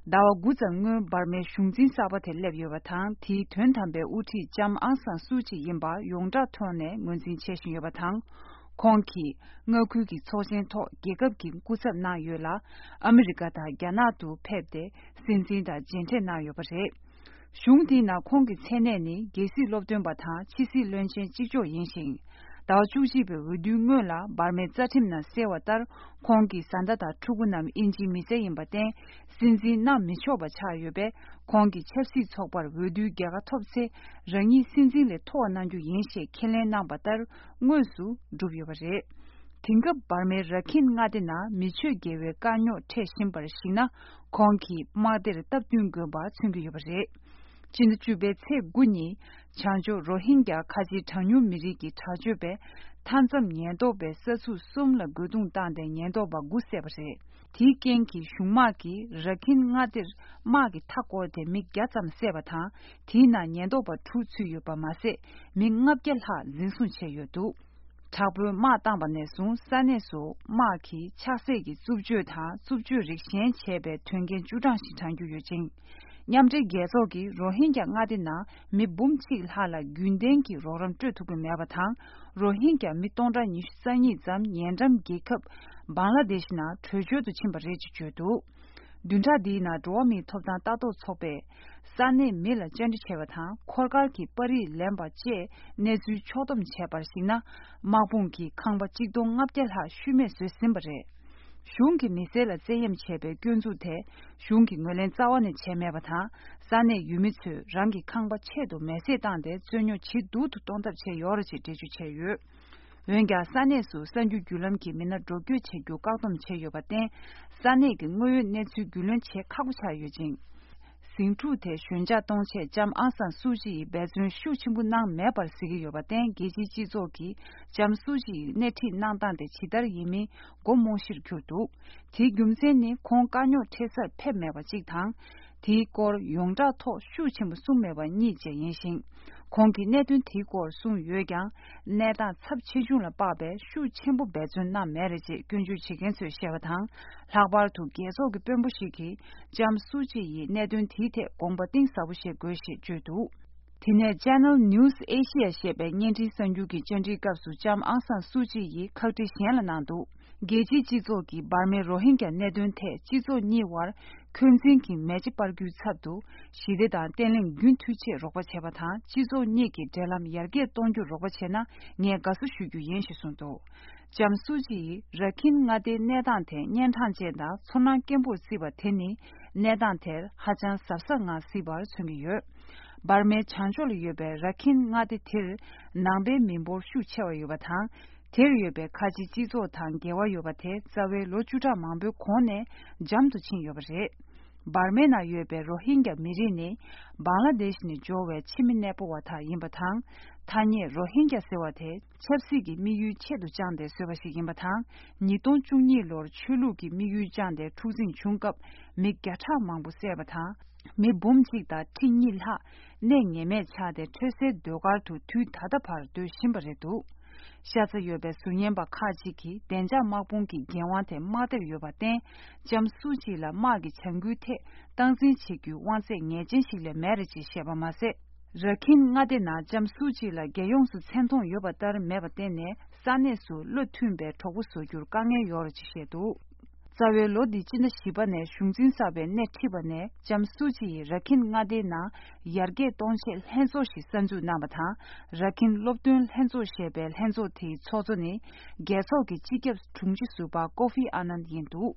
dawa guzang barme shungjin sabate lebyo batang ti thön thambe uthi jam angsan suchi yimba yongda thone ngunjin cheshin yo batang konki ngoku ki chosen to gegap ki kusap na yola america da gyana tu phebde sinsin da jinte na yo bare shungdi na kongi chene ni gesi lobden batha chisi lönchen jijo yinsin dawa chujibe wudu ngola barme zatim na sewatar kongi sandada chugunam inji mise yimbaten sinzi na michoba chayobe kongi chepsi chokbar wudu gyaga topse rangi sinzi le towa nanju yinshe kelen na batar ngosu dubyo bare tingab barme rakin ngade na micho gewe kanyo te shimbar shina kongi mader tabdyun goba chungyo bare 진주베 체군이 chanjo rohingya kaji thangyu mirigi thajube tanzam nyendobe sasu sumla gudung tande nyendoba gusebare tikenki shumaki rakin ngadir magi thakode migyatsam sebata tina nyendoba thutsuyu pamase mingapgelha zinsun cheyodu tabu ma tangba nesun saneso maki chasegi zubju tha zubju rikshen chebe tungen judang sitangyu yujing nyamje gezogi rohingya ngadina mi bumchi hala gündenki roram tutugu mebatang rohingya mi tonra ni sanyi zam nyendam gekap bangladesh na thujo du chimba reji chodu dunja dina domi thopda tato chobe sane mila jandi chebata khorgal ki pari lemba che nezu chodom chebar sina mabung ki khangba chigdong ngapjel ha shume se simbare shungi misela zeyem chebe gyunzu te shungi ngolen zawani chemebata sane yumitsu rangi kangba chedo mese dande zonyo chi dudu tondab che yorochi deju che yu wenga sane su sanju gyulam ki mina drogyo che gyu kaudom che yobaten sane ki ngoyo netsu gyulan che kagucha yujing singchu te shunja tongche jam ansan suji bezun shu chimbu nang mebar sigi yobaten geji jizo ki jam suji neti nang dande chidar yimi gomoshir kyudu ti gyumsen ni kong kanyo tesar pep meba jikthang ti kor yongda to shu chimbu sung meba ni je yinshin kongi netun ti kor sung yogyang nedan tsab chijun la babe shu chimbu bezun na mereji gyunju chigen su shebatang lakbar tu gezo ki pembu shiki jam suji yi netun ti te gongba ting sabu she goshi judu Tine Channel News Asia shebe nyenti sanju ki chanji kapsu jam angsan suji yi khakti shenla nandu. Geji jizo ki barme Rohingya nedun te jizo niwar kunzin ki meji pargyu tsabdu shide dan tenling gyun tuche rokba cheba tan jizo ni ki delam yarge tongju rokba chena nye gasu shugyu yenshi sundu. Jam suji yi rakin ngade nedan te nyentan jenda sonan kembu siba teni nedan te hajan sapsa nga sibar chungi yu. barme chanjol yobe rakin ngade til nambe minbo shu chewa yobatang ter yobe kaji jizo tang gewa yobate zawe lochuta mambe kone jamdu chin yobare barme na yobe rohingya mirini bangladesh ni jowe chimin nepo wata yimbatang tanye rohingya sewate chepsigi miyu chedu jande sewashi yimbatang nidon chungni lor chulugi miyu jande tuzin chungkap migyata mambu sebatang mi bumjigda tinilha ne ngeme chade trese dogar tu tu tadapar du shimbaredu shaza yobe sunyemba kajiki denja magbungi genwante mader yobaten jam suji la magi changu te tangzin chigyu wanse ngejin shile mereji shebamase rakin ngade na jam suji la geyongsu centong yobatar mebatene sanesu lutunbe togusu gyur kange yorochi shedu zawe lodi china shibane shungzin sabe ne tibane jamsuji rakin ngade na yarge tonshe henso shi sanju namata rakin lobdun henso shebel henso ti chozoni geso ki chikep chungji suba kofi anand yindu